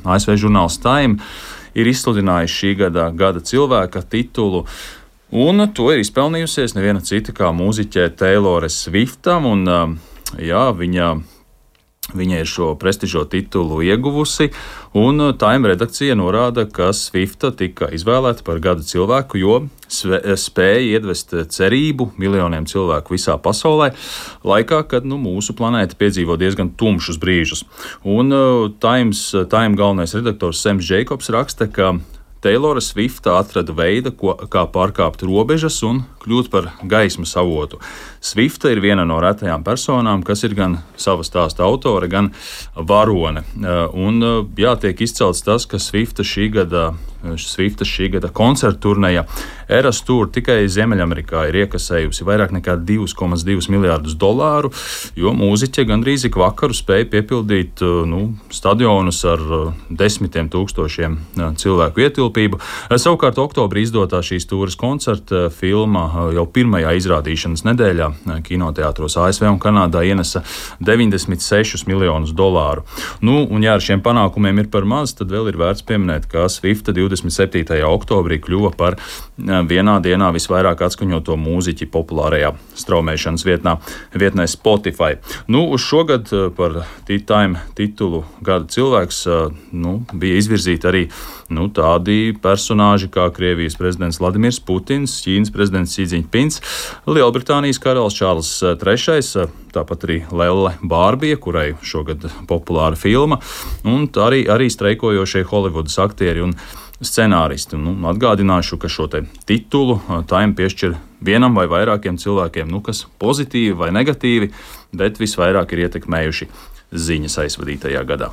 ASV žurnāls Time ir izsludinājis šī gada cilvēka titulu, un to ir izpelnījusies neviena cita kā mūziķe Taylore Swiftam, un Viņa ir šo prestižo titulu ieguvusi, un Time redakcija norāda, ka Swifta tika izvēlēta par gada cilvēku, jo spēja iedvest cerību miljoniem cilvēku visā pasaulē, laikā, kad mūsu planēta piedzīvo diezgan tumšus brīžus. Un Time galvenais redaktors Sams Jacobs raksta, ka Taylore Swifta atrada veidu, kā pārkāpt robežas un kļūt par gaismas avotu. Swifta ir viena no retajām personām, kas ir gan sava stāsta autore, gan varone. Un tiek izcelts tas, ka Swifta šī gada koncertu turneja Eras Tour tikai Ziemeļamerikā ir iekasējusi vairāk nekā $2,2 miljārdus, jo mūziķe gandrīz ik vakaru spēja piepildīt stadionus ar desmitiem tūkstošiem cilvēku ietilpību. Savukārt oktobrī izdotā šīs tūres koncerta filma jau pirmajā izrādīšanas nedēļā kinoteātros ASV un Kanādā ienesa $96 miljonus. Un ja ar šiem panākumiem ir par maz, tad vēl ir vērts pieminēt, ka Swifta 27. oktobrī kļuva par vienā dienā visvairāk atskaņoto mūziķi populārajā straumēšanas vietnē Spotify. Uz šogad par Time titulu gada cilvēks bija izvirzīti arī tādi personāži kā Krievijas prezidents Vladimirs Putins, Ķīnas prezidents Xi Jinpings, Lielbritānijas karalis Čārls III, tāpat arī Lelle Bārbija, kurai šogad populāra filma, un arī streikojošie Holivudas aktieri un scenāristi. Atgādināšu, ka šo titulu Time piešķir vienam vai vairākiem cilvēkiem, kas pozitīvi vai negatīvi, bet visvairāk ir ietekmējuši ziņas aizvadītajā gadā.